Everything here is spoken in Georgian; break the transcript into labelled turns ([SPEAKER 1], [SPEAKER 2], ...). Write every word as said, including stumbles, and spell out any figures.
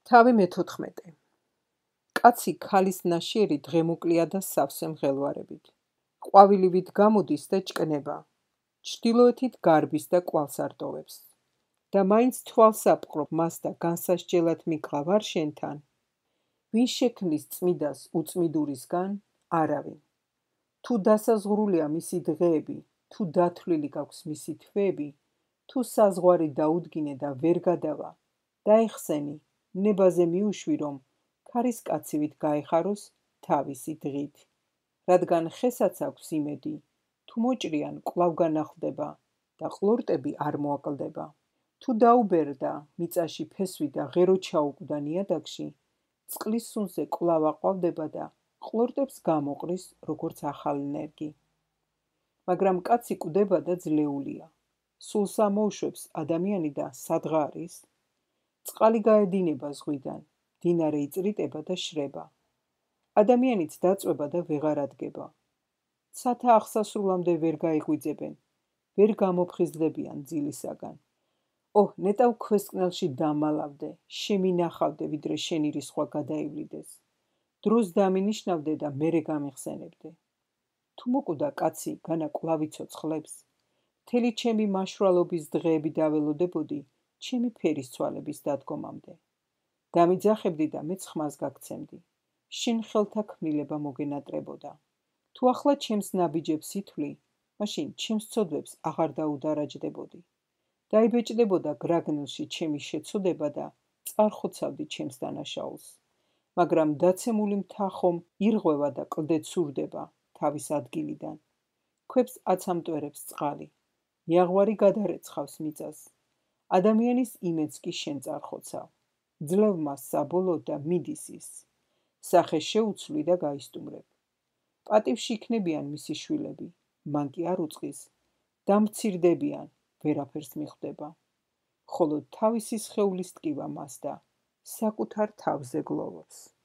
[SPEAKER 1] თავი მეთოთხმეტე. კაცი ქალის ნაშიერი დღემუკლია და სავსე მღელვარებით. ყვავილივით გამოდის და ჭკნება. ჩრდილოეთით გარბის და კვალს არტოვებს. და მაინც თვალს აპყრობ მას და განსასჯელად მიყავ არ შენთან. ვინ შექმნის წმიდას უწმიდურისგან? არავინ. თუ დასაზღვრულია მისი დღეები, თუ დათვლილი გაქვს მისი თვეები, თუ საზღვარი დაუდგინე და ვერ გადავა, დაეხსენი, ნებაზე მიუშვი, რომ ქარისკაცივით გაეხაროს თავისი დღით. რადგან ხესაც აქვს იმედი, თუ მოჭრიან კვლავ განახლდება და ყლორტები არ მოაკლდება. თუ დაუბერდა მიწაში ფესვი და ღერო ჩაუკვდა ნიადაგში, წყლის სუნზე კვლავ აყვავდება და ყლორტებს გამოყრის როგორც ახალ ნერგი. მაგრამ კაცი კვდება და ძლეულია. სულს ამოუშვებს ადამიანი და სადღა არის? წყალი გაედინება ზღვიდან, მდინარე იწრიტება და შრება. ადამიანიც დაწვება და ვეღარ ადგება. ცათა აღსასრულამდე ვერ გაიღვიძებენ, ვერ გამოფხიზლდებიან ძილისაგან. ოჰ, ნეტავ ქვესკნელში დამალავდე, შემინახავდე, ვიდრე შენი რისხვა გადაივლიდეს. დროს დამინიშნავდე და მერე გამიხსენებდე. თუ მოკვდა კაცი განა კვლავ იცოცხლებს, მთელი ჩემი მაშვრალობის დღეები დაველოდებოდი ჩემი ფერის ცვალების დადგომამდე. დამიძახებდი და მეც ხმას გაგცემდი. შენ ხელთა ქმნილება მოგენატრებოდა. თუ ახლა ჩემს ნაბიჯებს ითვლი, მაშინ ჩემს ცოდვებს აღარ დაუდარაჯდებოდი. დაიბეჭდებოდა გრაგნილში ჩემი შეცოდება და წარხოცავდი ჩემს დანაშაულს. მაგრამ დაცემული მთა ხომ ირღვევა და კლდე ცურდება თავის ადგილიდან. ქვებს აცამტვერებს წყალი. იაღვარი გადარეცხავს მიწას. ადამიანის იმედს კი შენ წარხოცავ. ძლევ მას საბოლოოდ და მიდის ის. სახე შეუცვლი და გაისტუმრებ. პატივში იქნებიან მისი შვილები, მან კი არ უწყის. დამცირდებიან, ვერაფერს მიხვდება. ხოლო თავისი სხეულის ტკივა მას და საკუთარ თავზე გლოვობს.